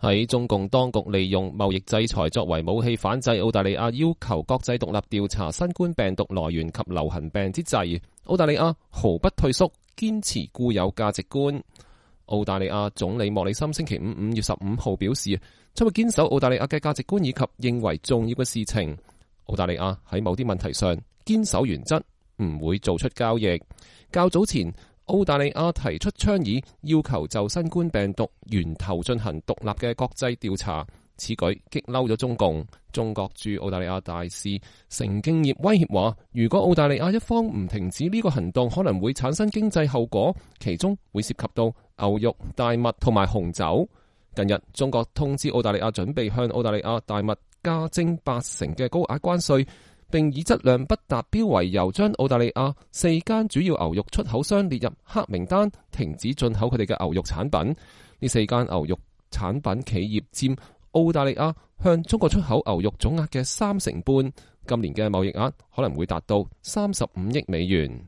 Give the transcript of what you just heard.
喺中共當局利用貿易制裁作為武器反制澳大利亞要求國際獨立調查新冠病毒來源及流行病之際，澳大利亞毫不退縮，堅持固有價值觀。澳大利亞總理莫里森星期5月15號表示，將會堅守澳大利亞嘅價值觀以及認為重要嘅事情。澳大利亞喺某啲問題上堅守原則，唔會做出交易。較早前，澳大利亞提出倡議，要求就新冠病毒源頭進行獨立嘅國際調查。此舉激嬲咗中共。中國駐澳大利亞大使成敬業威脅話，如果澳大利亞一方唔停止呢個行動，可能會產生經濟後果，其中會涉及到牛肉、大麥同埋紅酒。近日，中國通知澳大利亞準備向澳大利亞大麥加徵80%嘅高額關稅，並以質量不達標為由，將澳大利亞4間主要牛肉出口商列入黑名單，停止進口佢哋嘅牛肉產品。呢4間牛肉產品企業佔澳大利亞向中國出口牛肉總額嘅30%，今年嘅貿易額可能會達到35億美元。